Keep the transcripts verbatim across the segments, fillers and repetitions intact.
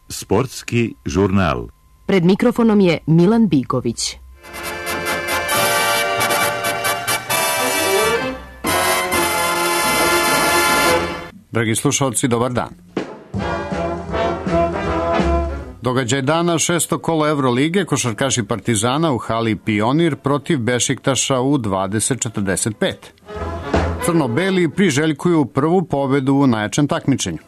Sportski žurnal. Pred mikrofonom je Milan Bigović. Dragi slušalci, dobar dan. Događaj dana, šesto kolo Evrolige, košarkaši Partizana u hali Pionir protiv Bešiktaša u dvadeset četrdeset pet. Crno-beli priželjkuju prvu pobedu u najjačem takmičenju.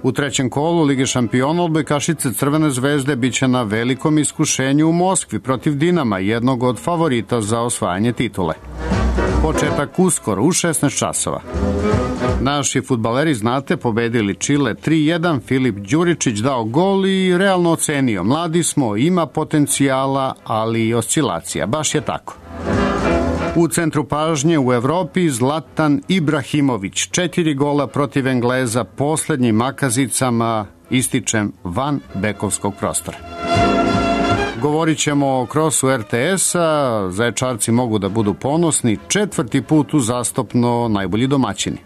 U trećem kolu Lige šampiona odbojkašice Crvene zvezde biće na velikom iskušenju u Moskvi protiv Dinama, jednog od favorita za osvajanje titule. Početak uskoro u šesnaest časova. Naši fudbaleri, znate, pobedili Čile tri jedan, Filip Đuričić dao gol i realno ocenio: mladi smo, ima potencijala, ali i oscilacija. Baš je tako. U centru pažnje u Evropi Zlatan Ibrahimović, četiri gola protiv Engleza, poslednjim makazicama, ističem, van bekovskog prostora. Govorit ćemo o krosu er te es-a, Zaječarci mogu da budu ponosni, četvrti put uzastopno najbolji domaćini.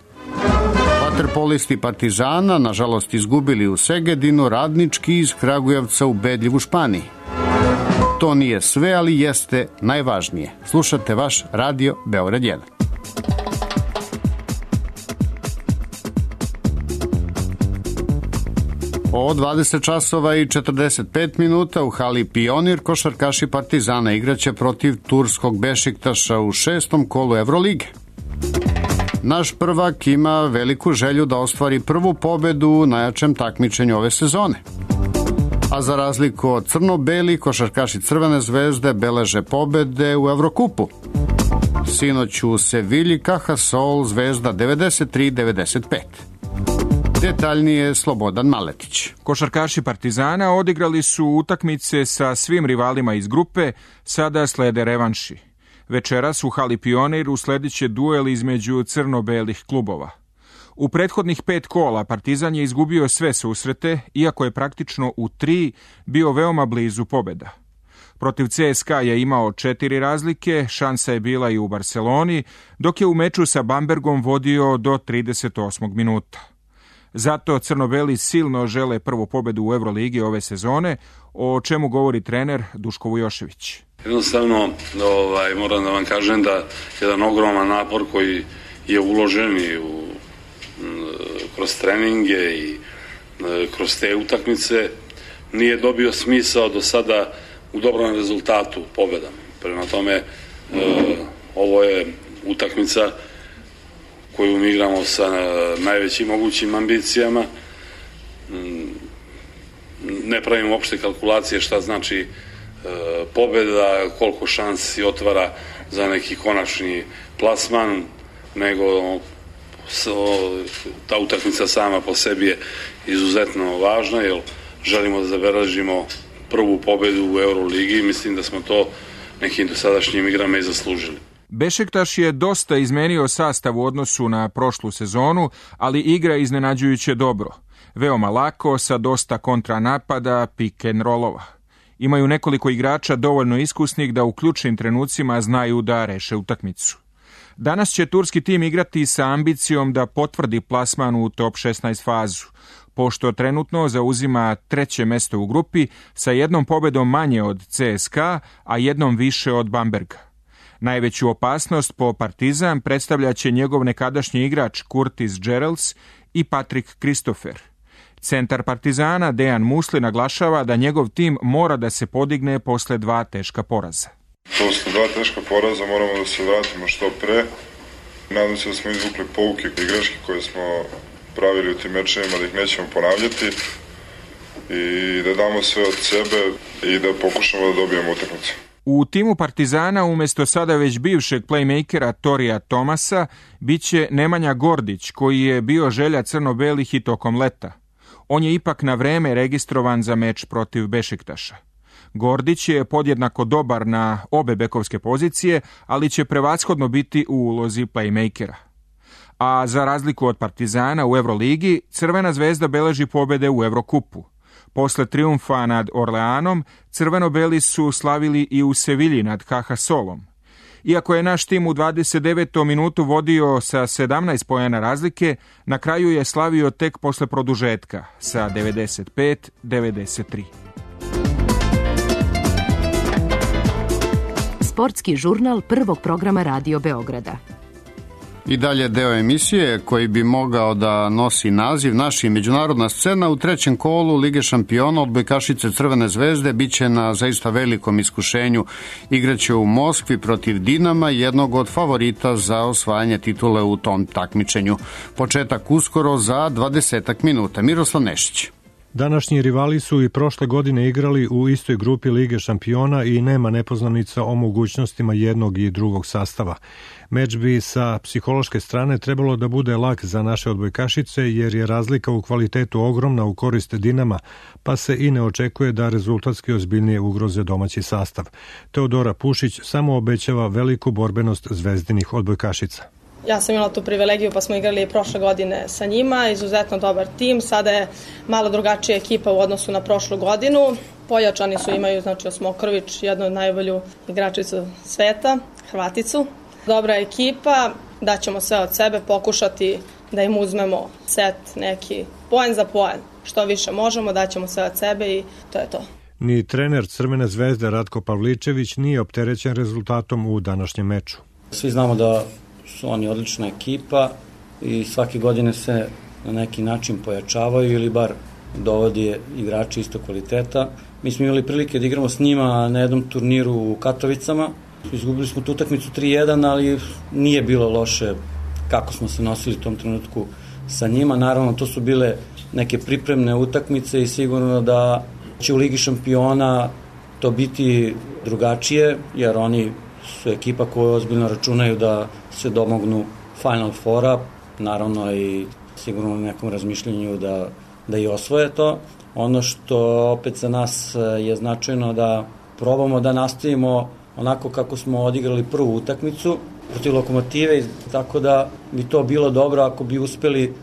Vaterpolisti Partizana, nažalost, izgubili u Segedinu, Radnički iz Kragujevca ubedljiv u Španiji. To nije sve, ali jeste najvažnije. Slušate vaš radio Beograd jedan. O dvadeset časova i četrdeset pet minuta u hali Pionir košarkaši Partizana igraće protiv turskog Bešiktaša u šestom kolu Evrolige. Naš prvak ima veliku želju da ostvari prvu pobedu u najjačem takmičenju ove sezone. A za razliku od crno-beli, košarkaši Crvene zvezde beleže pobede u Evrokupu. Sinoć u Sevilji Caja Sol Zvezda devedeset tri devedeset pet. Detaljnije Slobodan Maletić. Košarkaši Partizana odigrali su utakmice sa svim rivalima iz grupe, sada slede revanši. Večeras u hali Pionir usledit će duel između crno-belih klubova. U prethodnih pet kola Partizan je izgubio sve susrete, iako je praktično u tri bio veoma blizu pobeda. Protiv ce es ka je imao četiri razlike, šansa je bila i u Barceloni, dok je u meču sa Bambergom vodio do trideset osmog minuta. Zato crno-beli silno žele prvu pobedu u Euroligi ove sezone, o čemu govori trener Duško Vujošević. Jednostavno, ovaj, moram da vam kažem da jedan ogroman napor koji je uložen i u, kroz treninge i kroz te utakmice nije dobio smisao do sada u dobrom rezultatu, pobedama. Prema tome, e, ovo je utakmica koju mi igramo sa najvećim mogućim ambicijama. Ne pravimo uopšte kalkulacije šta znači e, pobeda, koliko šansi otvara za neki konačni plasman, nego so, ta utakmica sama po sebi je izuzetno važna, jer želimo da zabeležimo prvu pobedu u Euroligi i mislim da smo to nekim dosadašnjim igrama i zaslužili. Bešiktaš je dosta izmenio sastav u odnosu na prošlu sezonu, ali igra iznenađujuće dobro. Veoma lako, sa dosta kontranapada, pick and rollova. Imaju nekoliko igrača dovoljno iskusnih da u ključnim trenucima znaju da reše utakmicu. Danas će turski tim igrati sa ambicijom da potvrdi plasman u top šesnaest fazu, pošto trenutno zauzima treće mesto u grupi sa jednom pobedom manje od ce es ka, a jednom više od Bamberga. Najveću opasnost po Partizan predstavljaće njegov nekadašnji igrač Curtis Geralds i Patrick Christopher. Centar Partizana Dejan Musli naglašava da njegov tim mora da se podigne posle dva teška poraza. Posle dva teška poraza moramo da se vratimo što pre. Nadam se da smo izvukli pouke i greške koje smo pravili u tim mečevima, da ih nećemo ponavljati i da damo sve od sebe i da pokušamo da dobijemo utakmicu. U timu Partizana umjesto sada već bivšeg playmakera Torija Tomasa biće Nemanja Gordić, koji je bio želja crno-belih i tokom leta. On je ipak na vreme registrovan za meč protiv Bešiktaša. Gordić je podjednako dobar na obe bekovske pozicije, ali će prevashodno biti u ulozi playmakera. A za razliku od Partizana u Euroligi, Crvena zvezda beleži pobede u Evrokupu. Posle trijumfa nad Orleanom, crveno-beli su slavili i u Sevilji nad Caja Solom. Iako je naš tim u dvadeset devetom minutu vodio sa sedamnaest poena razlike, na kraju je slavio tek posle produžetka sa devedeset pet devedeset tri. Sportski žurnal prvog programa Radio Beograda. I dalje deo emisije koji bi mogao da nosi naziv Naši međunarodna scena. U trećem kolu Lige šampiona odbojkašice Crvene zvezde biće na zaista velikom iskušenju. Igraće u Moskvi protiv Dinama, jednog od favorita za osvajanje titule u tom takmičenju. Početak uskoro za dvadesetak minuta. Miroslav Nešić. Današnji rivali su i prošle godine igrali u istoj grupi Lige šampiona i nema nepoznanica o mogućnostima jednog i drugog sastava. Meč bi sa psihološke strane trebalo da bude lak za naše odbojkašice jer je razlika u kvalitetu ogromna u korist Dinama, pa se i ne očekuje da rezultatski ozbiljnije ugroze domaći sastav. Teodora Pušić samo obećava veliku borbenost zvezdinih odbojkašica. Ja sam imala tu privilegiju pa smo igrali prošle godine sa njima, izuzetno dobar tim, sada je malo drugačija ekipa u odnosu na prošlu godinu. Pojačani su, imaju znači Osmokrvić, jednu od najbolju igračicu sveta, Hrvaticu. Dobra ekipa, daćemo sve od sebe, pokušati da im uzmemo set neki poen za poen. Što više možemo, daćemo sve od sebe i to je to. Ni trener Crvene zvezde Ratko Pavličević nije opterećen rezultatom u današnjem meču. Svi znamo da su oni odlična ekipa i svake godine se na neki način pojačavaju ili bar dovodi igrači isto kvaliteta. Mi smo imali prilike da igramo s njima na jednom turniru u Katovicama. Izgubili smo tu utakmicu tri jedan, ali nije bilo loše kako smo se nosili u tom trenutku sa njima. Naravno, to su bile neke pripremne utakmice i sigurno da će u Ligi šampiona to biti drugačije, jer oni su ekipa koja ozbiljno računaju da se domognu Final Fora, naravno i sigurno u nekom razmišljanju da, da i osvoje to. Ono što opet za nas je značajno da probamo da nastavimo onako kako smo odigrali prvu utakmicu protiv Lokomotive, tako da bi to bilo dobro ako bi uspeli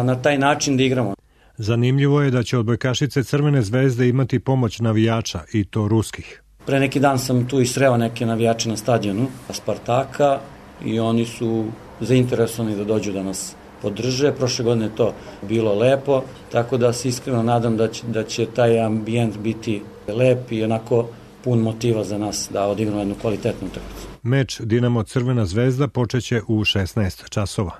na taj način da igramo. Zanimljivo je da će odbojkašice Crvene zvezde imati pomoć navijača, i to ruskih. Pre neki dan sam tu i sreo neke navijače na stadionu Spartaka i oni su zainteresovani da dođu da nas podrže. Prošle godine je to bilo lepo, tako da se iskreno nadam da će, da će taj ambijent biti lep i onako pun motiva za nas da odigramo jednu kvalitetnu utakmicu. Meč Dinamo Crvena zvezda počeće u šesnaest časova.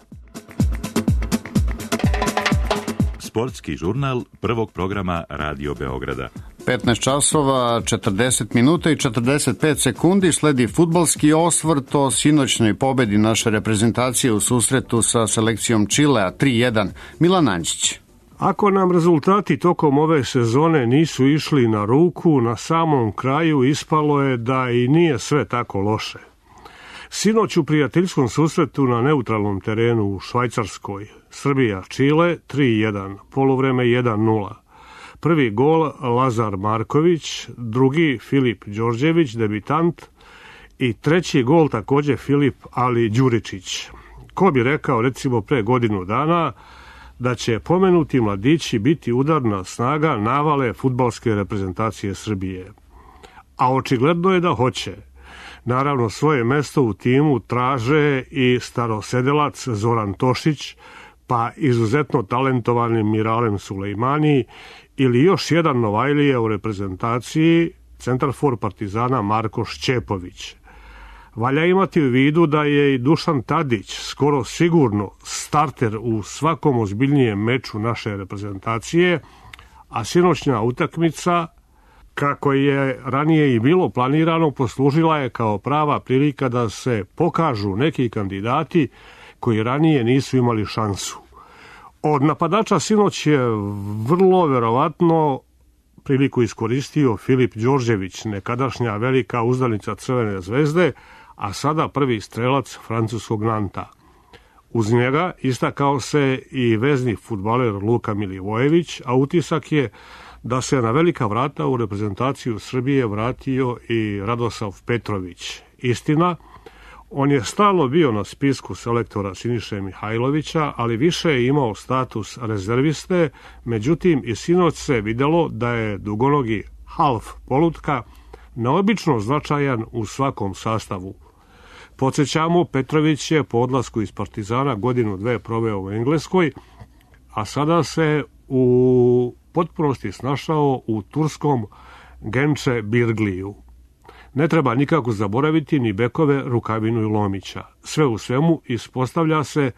Sportski žurnal prvog programa Radio Beograda. petnaest časova, četrdeset minuta i četrdeset pet sekundi, sledi fudbalski osvrt o sinoćnoj pobedi naše reprezentacije u susretu sa selekcijom Čilea tri jedan. Milan Anđić. Ako nam rezultati tokom ove sezone nisu išli na ruku, na samom kraju ispalo je da i nije sve tako loše. Sinoć u prijateljskom susretu na neutralnom terenu u Švajcarskoj, Srbija-Čile tri jedan, poluvreme jedan nula. Prvi gol Lazar Marković, drugi Filip Đorđević, debitant, i treći gol takođe Filip Ali Đuričić. Ko bi rekao recimo pre godinu dana da će pomenuti mladići biti udarna snaga navale fudbalske reprezentacije Srbije. A očigledno je da hoće. Naravno, svoje mesto u timu traže i starosedelac Zoran Tošić, pa izuzetno talentovani Miralem Sulejmani ili još jedan Novajlija u reprezentaciji, centarfor Partizana Marko Šćepović. Valja imati u vidu da je i Dušan Tadić skoro sigurno starter u svakom ozbiljnijem meču naše reprezentacije, a sinoćnja utakmica, kako je ranije i bilo planirano, poslužila je kao prava prilika da se pokažu neki kandidati koji ranije nisu imali šansu. Od napadača sinoć je vrlo verovatno priliku iskoristio Filip Đorđević, nekadašnja velika uzdanica Crvene zvezde, a sada prvi strelac francuskog Nanta. Uz njega istakao se i vezni fudbaler Luka Milivojević, a utisak je da se na velika vrata u reprezentaciju Srbije vratio i Radosav Petrović. Istina, on je stalno bio na spisku selektora Siniše Mihajlovića, ali više je imao status rezerviste, međutim i sinoć se videlo da je dugonogi half polutka neobično značajan u svakom sastavu. Podsjećamo, Petrović je po odlasku iz Partizana godinu dve proveo u Engleskoj, a sada se u potpunosti snašao u turskom Genče Birgliju. Ne treba nikako zaboraviti ni bekove Rukavinu i Lomića. Sve u svemu ispostavlja se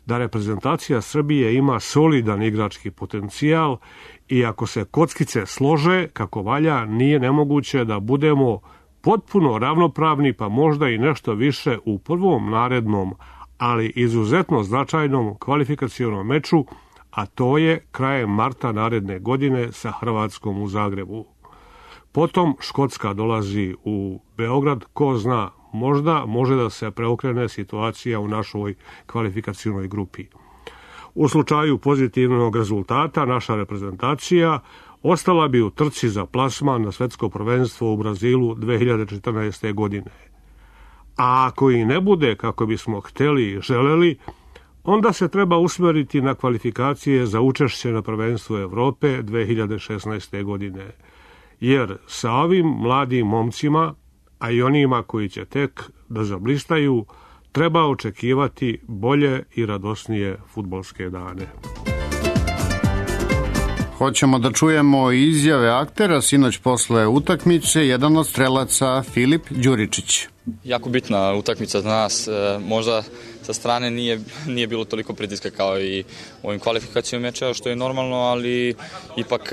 da reprezentacija Srbije ima solidan igrački potencijal i ako se kockice slože kako valja, nije nemoguće da budemo potpuno ravnopravni, pa možda i nešto više u prvom narednom, ali izuzetno značajnom kvalifikacionom meču, a to je krajem marta naredne godine sa Hrvatskom u Zagrebu. Potom Škotska dolazi u Beograd, ko zna, možda može da se preokrene situacija u našoj kvalifikacionoj grupi. U slučaju pozitivnog rezultata naša reprezentacija ostala bi u trci za plasman na svetsko prvenstvo u Brazilu dve hiljade četrnaeste. godine. A ako i ne bude kako bismo hteli i želeli, onda se treba usmeriti na kvalifikacije za učešće na prvenstvu Evrope dve hiljade šesnaeste. godine. Jer sa ovim mladim momcima, a i onima koji će tek da zablistaju, treba očekivati bolje i radosnije fudbalske dane. Hoćemo da čujemo izjave aktera sinoć posle utakmice, jedan od strelaca Filip Đuričić. Jako bitna utakmica za nas, možda sa strane nije, nije bilo toliko pritiska kao i u ovim kvalifikacijom mečeva, što je normalno, ali ipak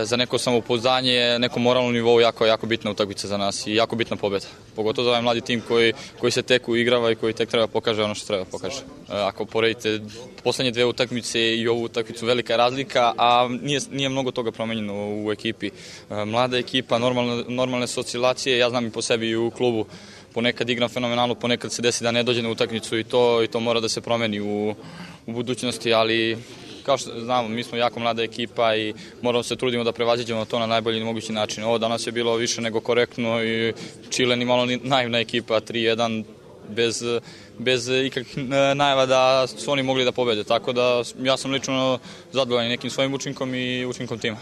za neko samopouzdanje, neko moralno nivou jako, jako bitna utakmica za nas i jako bitna pobjeda. Pogotovo za ovaj mladi tim koji, koji se tek uigrava i koji tek treba pokaže ono što treba pokaže. Ako poredite poslednje dve utakmice i ovu utakmicu, velika je razlika, a nije, nije mnogo toga promenjeno u ekipi. Mlada ekipa, normalne, normalne oscilacije, ja znam i po sebi i u klubu, ponekad igram fenomenalno, ponekad se desi da ne dođe na utakmicu i to, i to mora da se promeni u, u budućnosti, ali kao što znamo, mi smo jako mlada ekipa i moramo se trudimo da prevaziđemo to na najbolji mogući način. Ovo danas je bilo više nego korektno i Čile ni malo ni naivna ekipa, tri jedan, bez, bez ikakvih najava da su oni mogli da pobede, tako da ja sam lično zadovoljan nekim svojim učinkom i učinkom tima.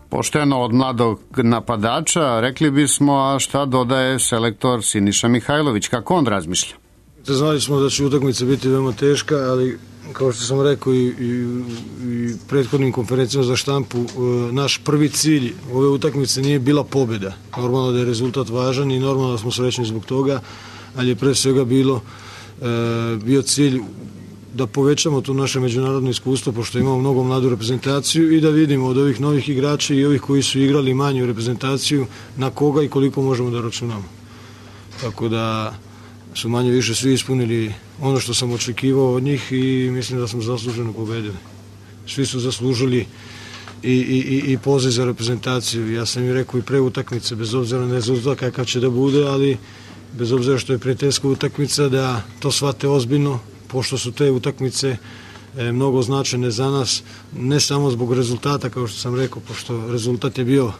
Pošteno od mladog napadača, rekli bismo, a šta dodaje selektor Siniša Mihajlović, kako on razmišlja? Znali smo da će utakmica biti veoma teška, ali kao što sam rekao i, i, i prethodnim konferencijama za štampu, naš prvi cilj ove utakmice nije bila pobjeda. Normalno da je rezultat važan i normalno da smo srećni zbog toga, ali je pre svega bilo, e, bio cilj da povećamo to naše međunarodno iskustvo, pošto imamo mnogo mladu reprezentaciju i da vidimo od ovih novih igrača i ovih koji su igrali manju reprezentaciju na koga i koliko možemo da računamo. Tako da su manje više svi ispunili ono što sam očekivao od njih i mislim da smo zasluženo pobedili. Svi su zaslužili i, i, i poziv za reprezentaciju. Ja sam im rekao i pre utakmice, bez obzira na rezultat kakav će da bude, ali bez obzira što je prijateljska utakmica, da to shvate ozbiljno, pošto su te utakmice e, mnogo značajne za nas, ne samo zbog rezultata, kao što sam rekao, pošto rezultat je bio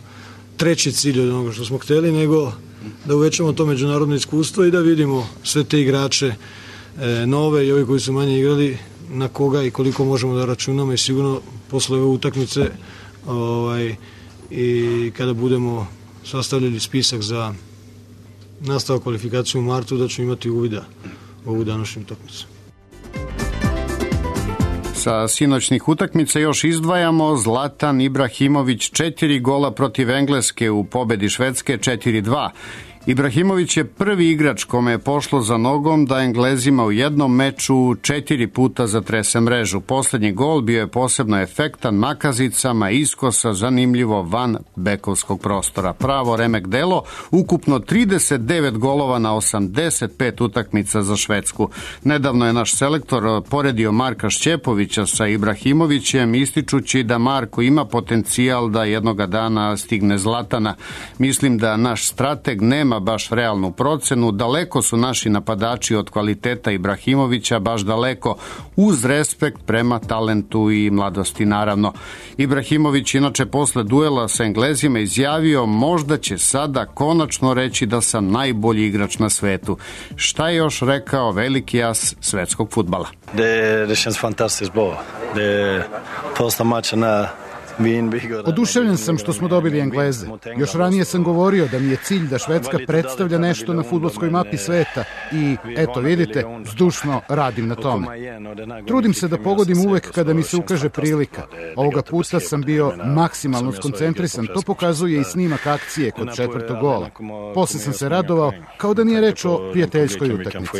treći cilj od onoga što smo hteli, nego da uvećamo to međunarodno iskustvo i da vidimo sve te igrače e, nove i ovi koji su manje igrali, na koga i koliko možemo da računamo i sigurno posle ove utakmice ovaj, i kada budemo sastavljali spisak za nastavak kvalifikaciju u martu, da ću imati uvida u ovu današnju utakmicu. Sa sinoćnih utakmica još izdvajamo Zlatan Ibrahimović, četiri gola protiv Engleske u pobedi Švedske četiri dva. Ibrahimović je prvi igrač kome je pošlo za nogom da Englezima u jednom meču četiri puta zatrese mrežu. Poslednji gol bio je posebno efektan makazicama iskosa, zanimljivo van bekovskog prostora. Pravo remek delo, ukupno trideset devet golova na osamdeset pet utakmica za Švedsku. Nedavno je naš selektor poredio Marka Šćepovića sa Ibrahimovićem, ističući da Marko ima potencijal da jednoga dana stigne Zlatana. Mislim da naš strateg nema baš realnu procenu, daleko su naši napadači od kvaliteta Ibrahimovića, baš daleko, uz respekt prema talentu i mladosti naravno. Ibrahimović inače posle duela sa Englezima izjavio, možda će sada konačno reći da sam najbolji igrač na svetu. Šta je još rekao veliki as svetskog fudbala? Det, det känns fantastiskt bra. Det är första matchen här Oduševljen sam što smo dobili Engleze. Još ranije sam govorio da mi je cilj da Švedska predstavlja nešto na fudbalskoj mapi sveta i, eto vidite, zdušno radim na tome. Trudim se da pogodim uvek kada mi se ukaže prilika. Ovoga puta sam bio maksimalno skoncentrisan, to pokazuje i snimak akcije kod četvrtog gola. Posle sam se radovao kao da nije reč o prijateljskoj utakmici.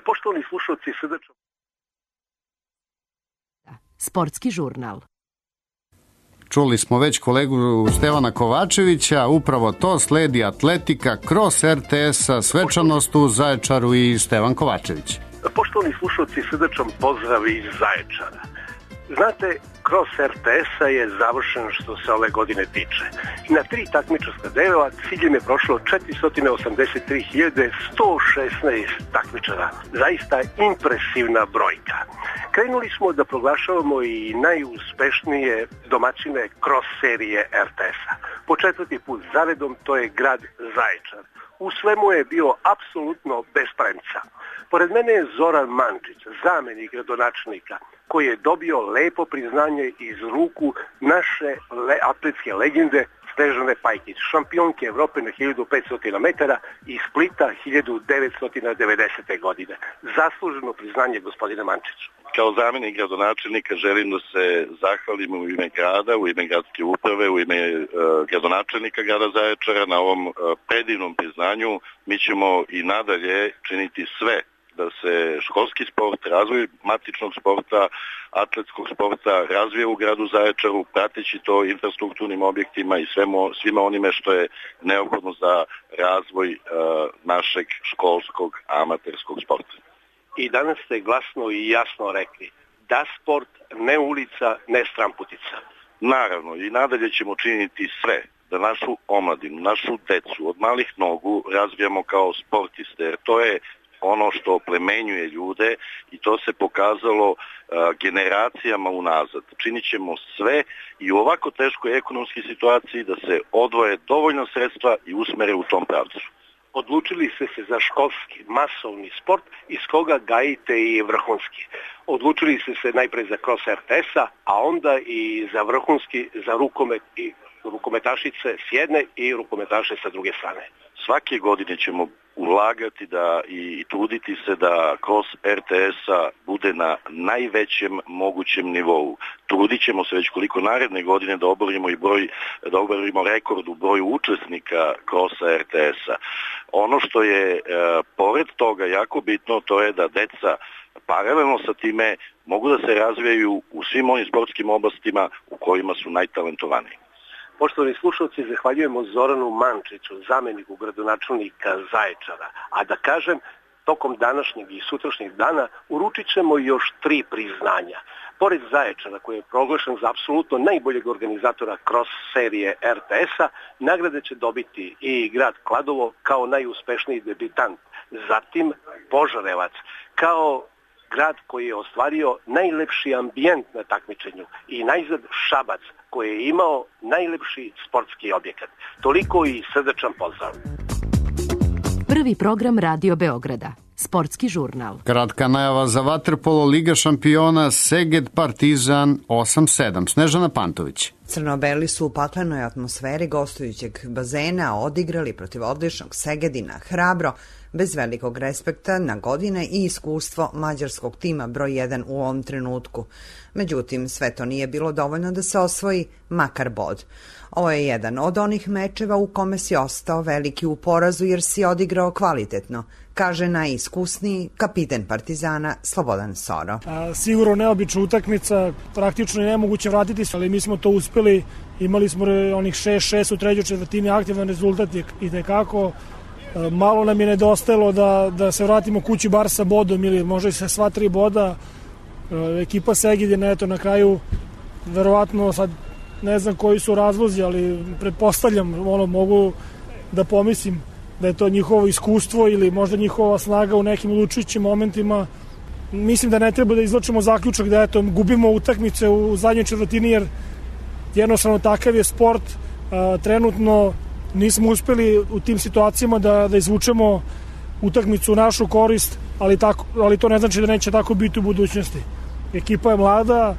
Poštovani slušalci, srdačno Sportski žurnal. Čuli smo već kolegu Stevana Kovačevića, upravo to sledi Atletika, Cross R T S-a, svečanost u Zaječaru i Stevan Kovačević. Poštovani slušalci, srdačan pozdrav iz Zaječara. Znate, Cross R T S-a je završen što se ove godine tiče. Na tri takmičarska dela ciljem je prošlo četiristo osamdeset tri hiljade sto šesnaest takmičara. Zaista impresivna brojka. Krenuli smo da proglašavamo i najuspešnije domaćine cross serije R T S-a. Po četvrti put zaredom to je grad Zaječar. U svemu je bio apsolutno bez premca. Pored mene je Zoran Mančić, zamenik gradonačelnika, koji je dobio lepo priznanje iz ruku naše le, atletske legende Snežane Pajkić, šampionke Evrope na hiljadu petsto metara i Splita hiljadu devetsto devedesete. godine. Zasluženo priznanje, gospodine Mančiću. Kao zamenik gradonačelnika želim da se zahvalim u ime grada, u ime gradske uprave, u ime uh, gradonačelnika grada Zaječara na ovom uh, predivnom priznanju. Mi ćemo i nadalje činiti sve da se školski sport, razvoj matičnog sporta, atletskog sporta razvije u gradu Zaječaru, prateći to infrastrukturnim objektima i svemo, svima onime što je neophodno za razvoj uh, našeg školskog amaterskog sporta. I danas ste glasno i jasno rekli da sport, ne ulica, ne stramputica. Naravno, i nadalje ćemo činiti sve da našu omladinu, našu decu od malih nogu razvijamo kao sportiste, jer to je ono što plemenjuje ljude i to se pokazalo uh, generacijama unazad. Činit ćemo sve i u ovako teškoj ekonomskoj situaciji da se odvoje dovoljno sredstva i usmere u tom pravcu. Odlučili ste se za školski, masovni sport iz koga gajite i vrhunski. Odlučili ste se najprej za cross R T S-a, a onda i za vrhunski, za rukomet i rukometašice s jedne i rukometaše sa druge strane. Svake godine ćemo ulagati da i truditi se da cross R T S-a bude na najvećem mogućem nivou. Trudit ćemo se već koliko naredne godine da oborimo i broj, da oborimo rekord u broju učesnika crossa R T S-a. Ono što je e, pored toga jako bitno, to je da deca paralelno sa time mogu da se razvijaju u svim onim sportskim oblastima u kojima su najtalentovaniji. Poštovani slušalci, zahvaljujemo Zoranu Mančiću, zameniku gradonačelnika Zaječara. A da kažem, tokom današnjeg i sutrašnjeg dana uručit ćemo još tri priznanja. Pored Zaječara, koji je proglašen za apsolutno najboljeg organizatora cross serije R T S-a, nagrade će dobiti i grad Kladovo kao najuspešniji debitant. Zatim Požarevac kao grad koji je ostvario najlepši ambijent na takmičenju i najzad Šabac koji je imao najlepši sportski objekat. Toliko i srdačan pozdrav. Prvi program Radio Beograda. Sportski žurnal. Kratka najava za vaterpolo Liga šampiona Seged Partizan osam sedam. Snežana Pantović. Crno-beli su u paklenoj atmosferi gostujućeg bazena odigrali protiv odličnog Segedina hrabro, bez velikog respekta na godine i iskustvo mađarskog tima broj jedan u ovom trenutku. Međutim, sve to nije bilo dovoljno da se osvoji makar bod. Ovo je jedan od onih mečeva u kome si ostao veliki u porazu jer si odigrao kvalitetno, kaže najiskusniji kapiten Partizana Slobodan Soro. A, sigurno neobična utakmica, praktično je nemoguće vratiti se, ali mi smo to uspeli, imali smo onih šest šest u trećoj četvrtini, aktivan rezultat je i tekako. Malo nam je nedostajalo da, da se vratimo kući bar sa bodom ili možda i sa sva tri boda. Ekipa Segedina eto na kraju verovatno sad ne znam koji su razlozi, ali pretpostavljam, ono, mogu da pomislim da je to njihovo iskustvo ili možda njihova snaga u nekim odlučujućim momentima. Mislim da ne treba da izvlačimo zaključak da eto gubimo utakmice u zadnjoj četvrtini jer jednostavno takav je sport. A, trenutno nismo uspeli u tim situacijama da, da izvučemo utakmicu u našu korist, ali, tako, ali to ne znači da neće tako biti u budućnosti. ekipa je mlada,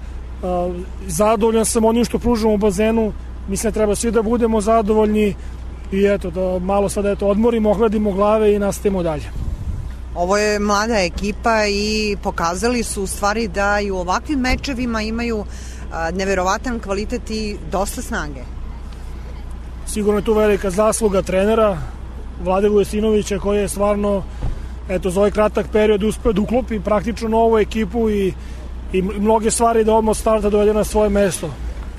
zadovoljan sam onim što pružamo u bazenu, mislim da treba svi da budemo zadovoljni i eto, da malo sada eto, odmorimo, ohladimo glave i nastavimo dalje. Ovo je mlada ekipa i pokazali su u stvari da i u ovakvim mečevima imaju neverovatan kvalitet i dosta snage. Sigurno je tu velika zasluga trenera Vlade Vujasinovića koji je stvarno eto, za ovaj kratak period uspeo da uklopi praktično novu ekipu i, i mnoge stvari da odmah starta dovede na svoje mesto.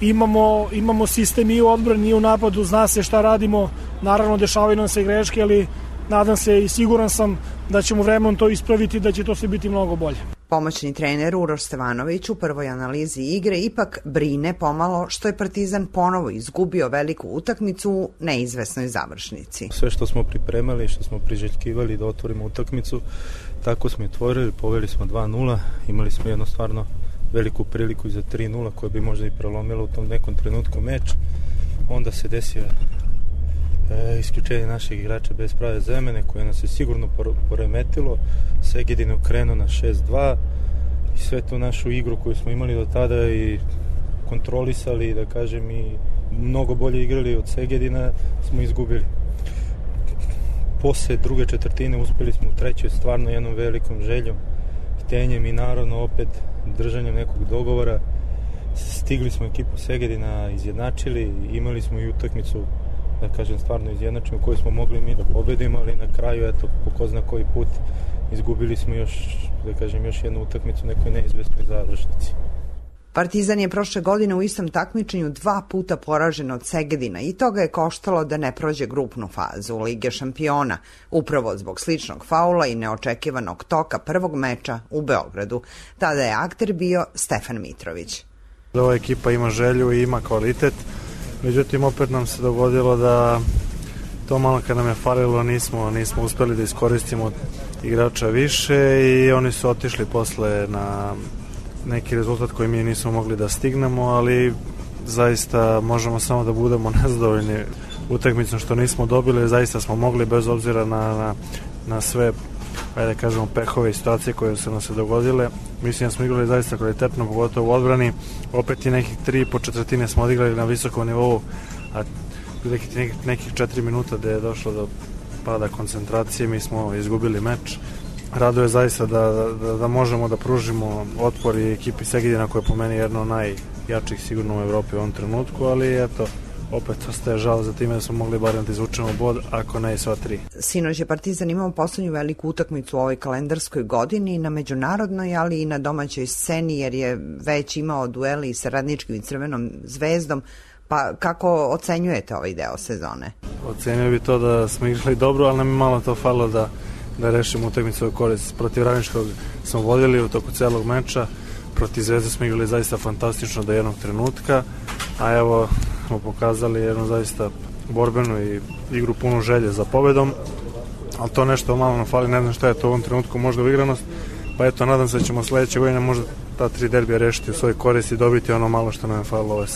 Imamo, imamo sistem i u odbrani i u napadu, zna se šta radimo, naravno dešavaju nam se greške, ali nadam se i siguran sam da ćemo vremenom to ispraviti i da će to sve biti mnogo bolje. Pomoćni trener Uroš Stevanović u prvoj analizi igre ipak brine pomalo što je Partizan ponovo izgubio veliku utakmicu u neizvesnoj završnici. Sve što smo pripremali, što smo priželjkivali da otvorimo utakmicu, tako smo otvorili, poveli smo dva nula, imali smo jedno stvarno veliku priliku za tri nula koja bi možda i prelomila u tom nekom trenutku meč. Onda se desio e, isključenje naših igrača bez prave zemene koje nas je sigurno poremetilo. Segedin je okrenuo na šest dva i sve tu našu igru koju smo imali do tada i kontrolisali, da kažem, i mnogo bolje igrali od Segedina smo izgubili. Posle druge četvrtine uspeli smo u trećoj stvarno jednom velikom željom, htenjem i naravno opet držanjem nekog dogovora. Stigli smo ekipu Segedina, izjednačili, imali smo i utakmicu, da kažem, stvarno izjednačenu koju smo mogli mi da pobedimo, ali na kraju, eto, po ko zna koji put izgubili smo još, da kažem, još jednu utakmicu u nekoj neizvesnoj završnici. Partizan je prošle godine u istom takmičenju dva puta poražen od Segedina i toga je koštalo da ne prođe grupnu fazu Lige šampiona, upravo zbog sličnog faula i neočekivanog toka prvog meča u Beogradu. Tada je akter bio Stefan Mitrović. Ova ekipa ima želju i ima kvalitet, međutim opet nam se dogodilo da to malo kad nam je falilo nismo, nismo uspeli da iskoristimo igrača više i oni su otišli posle na neki rezultat koji mi nismo mogli da stignemo, ali zaista možemo samo da budemo nezadovoljni utakmicom što nismo dobili, zaista smo mogli bez obzira na, na, na sve, ajde kažemo, pehove i situacije koje su nam se dogodile. Mislim da smo igrali zaista kvalitetno, pogotovo u odbrani, opet i nekih tri i po četvrtine smo odigrali na visokom nivou, a nekih, nekih, nekih četiri minuta gde je došlo do pada koncentracije, mi smo izgubili meč. Raduje zaista da, da, da možemo da pružimo otpor i ekipi Segedina koja je po meni jedno od najjačih sigurno u Evropi u ovom trenutku, ali eto, opet ostaje žal za time da smo mogli barem da izvučemo bod, ako ne i sva tri. Sinoć je Partizan imao poslednju veliku utakmicu u ovoj kalendarskoj godini na međunarodnoj, ali i na domaćoj sceni, jer je već imao dueli sa Radničkim i Crvenom zvezdom. Pa kako ocenjujete ovaj deo sezone? Ocenio bi to da smo igrali dobro, ali nam je malo to falilo da da rešimo utakmicu u korist. Protiv Radničkog smo vodili u toku celog meča, protiv Zvezde smo igrali zaista fantastično do jednog trenutka, a evo smo pokazali jednu zaista borbenu i igru punu želje za pobedom, ali to nešto malo nam fali, ne znam šta je to u ovom trenutku, možda uigranost, pa eto, nadam se da ćemo sledeće godine možda ta tri derbija rešiti u svoj korist i dobiti ono malo što nam je falilo ove,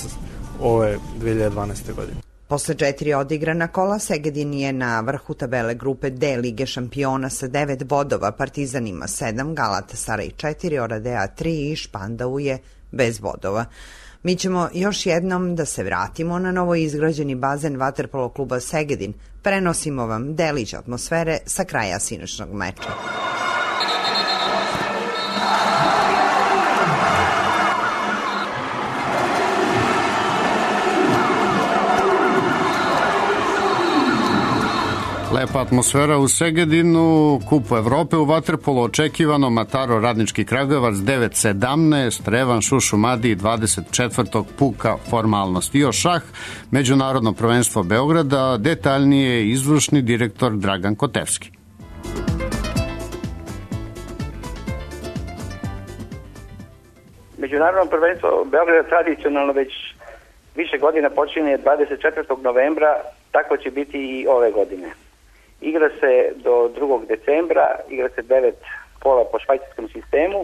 ove dve hiljade dvanaeste. godine. Posle četiri odigrana kola, Segedin je na vrhu tabele grupe D Lige šampiona sa devet bodova, Partizan ima sedam, Galatasaray četiri, Oradea tri i Špandau je bez bodova. Mi ćemo još jednom da se vratimo na novo izgrađeni bazen vaterpolo kluba Segedin. Prenosimo vam delić atmosfere sa kraja sinoćnog meča. Lepa atmosfera u Segedinu, Kupu Evrope u vaterpolu očekivano, Mataro Radnički Kragujevac devet sedamnaest, Revan Šušumadi dvadeset četvrtog puka formalnost. I još šah, Međunarodno prvenstvo Beograda, detaljnije izvršni direktor Dragan Kotevski. Međunarodno prvenstvo Beograda tradicionalno već više godina počinje dvadeset četvrtog novembra, tako će biti i ove godine. Igra se do drugog decembra, igra se devet kola po švajcarskom sistemu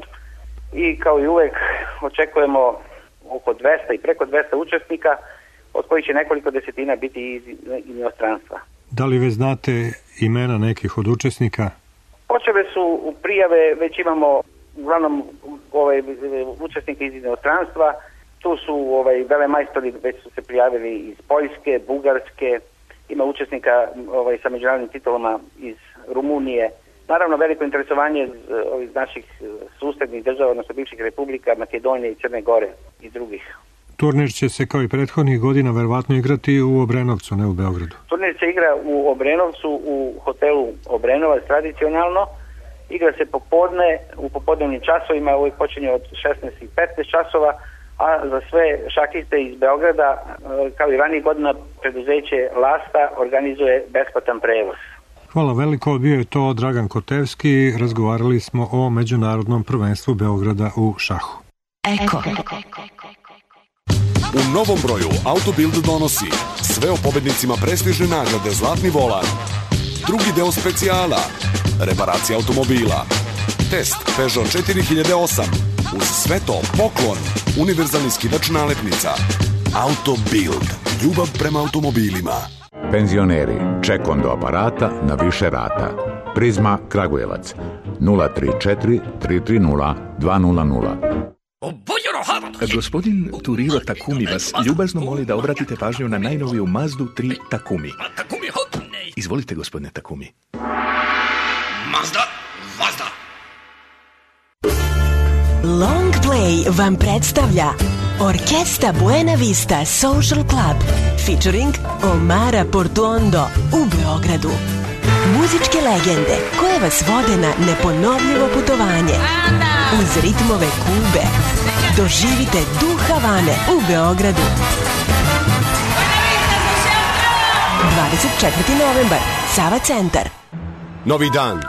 i kao i uvek očekujemo oko dvesta i preko dvesta učesnika, od kojih će nekoliko desetina biti iz inostranstva. Da li već znate imena nekih od učesnika? Počele su u prijave, već imamo uglavnom ovaj, učesnika iz inostranstva. Tu su ovaj, velemajstori, već su se prijavili iz Poljske, Bugarske, ima učesnika ovaj, sa međunarodnim titulama iz Rumunije. Naravno, veliko interesovanje ovih naših susednih država, odnosno bivših republika, Makedonije i Crne Gore i drugih. Turnir će se kao i prethodnih godina verovatno igrati u Obrenovcu, ne u Beogradu. Turnir se igra u Obrenovcu, u hotelu Obrenovac tradicionalno. Igra se popodne, u popodnevnim časovima, ovo počinje od šesnaest i petnaest časova, a za sve šahiste iz Beograda, kao i ranijih godina, preduzeće Lasta organizuje besplatan prevoz. Hvala veliko, bio je to Dragan Kotevski, razgovarali smo o međunarodnom prvenstvu Beograda u šahu. Eko. U novom broju Autobild donosi sve o pobednicima prestižne nagrade Zlatni volan, drugi deo specijala, reparacija automobila, test Peugeot četiri hiljade osam, uz sve to poklon, univerzalni skidač nalepnica. Autobild, ljubav prema automobilima. Penzioneri, ček do aparata na više rata. Prizma Kragujevac, nula tri četiri tri tri nula dva nula nula. Gospodin Turiro Takumi vas ljubazno moli da obratite pažnju na najnoviju Mazdu tri Takumi. Izvolite, gospodine Takumi. Mazda, Mazda. Long Play vam predstavlja Orkesta Buena Vista Social Club featuring Omara Portuondo u Beogradu. Muzičke legende koje vas vode na neponovljivo putovanje uz ritmove Kube. Doživite duh Havane u Beogradu. dvadeset četvrti novembar, Sava centar. Novi dan.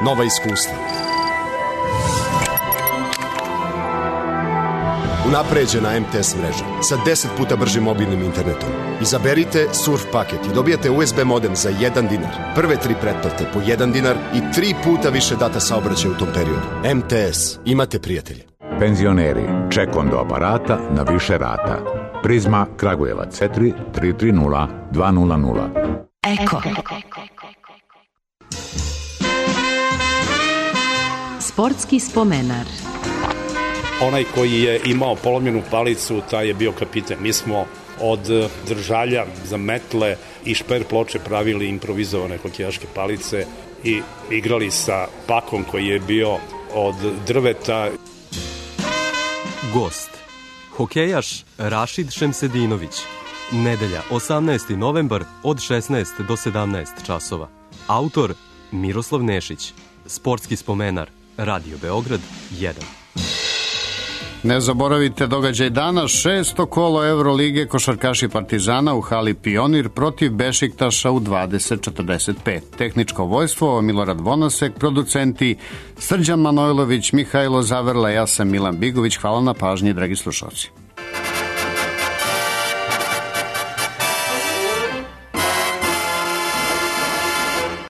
Nova iskustva. Unapređena M T S mreža sa deset puta bržim mobilnim internetom. Izaberite surf paket i dobijate U S B modem za jedan dinar. Prve tri pretplate po jedan dinar i tri puta više data saobraćaja u tom periodu. M T S. Imate prijatelje. Penzioneri, ček do aparata na više rata. Prizma Kragujevac, četiri tri tri nula dva nula nula. Eko. Sportski spomenar. Onaj koji je imao polomljenu palicu, taj je bio kapitan. Mi smo od držalja za metle i šper ploče pravili improvizovane hokejaške palice i igrali sa pakom koji je bio od drveta. Gost. Hokejaš Rašid Šemsedinović. Nedelja, osamnaesti novembar od šesnaest do sedamnaest časova. Autor Miroslav Nešić. Sportski spomenar. Radio Beograd jedan. Ne zaboravite događaj dana, šesto kolo Evrolige, košarkaši Partizana u hali Pionir protiv Bešiktaša u dvadeset četrdeset pet. Tehničko vojstvo Milorad Vonasek, producenti Srđan Manojlović, Mihajlo Zaverla, ja sam Milan Bigović. Hvala na pažnji, dragi slušalci.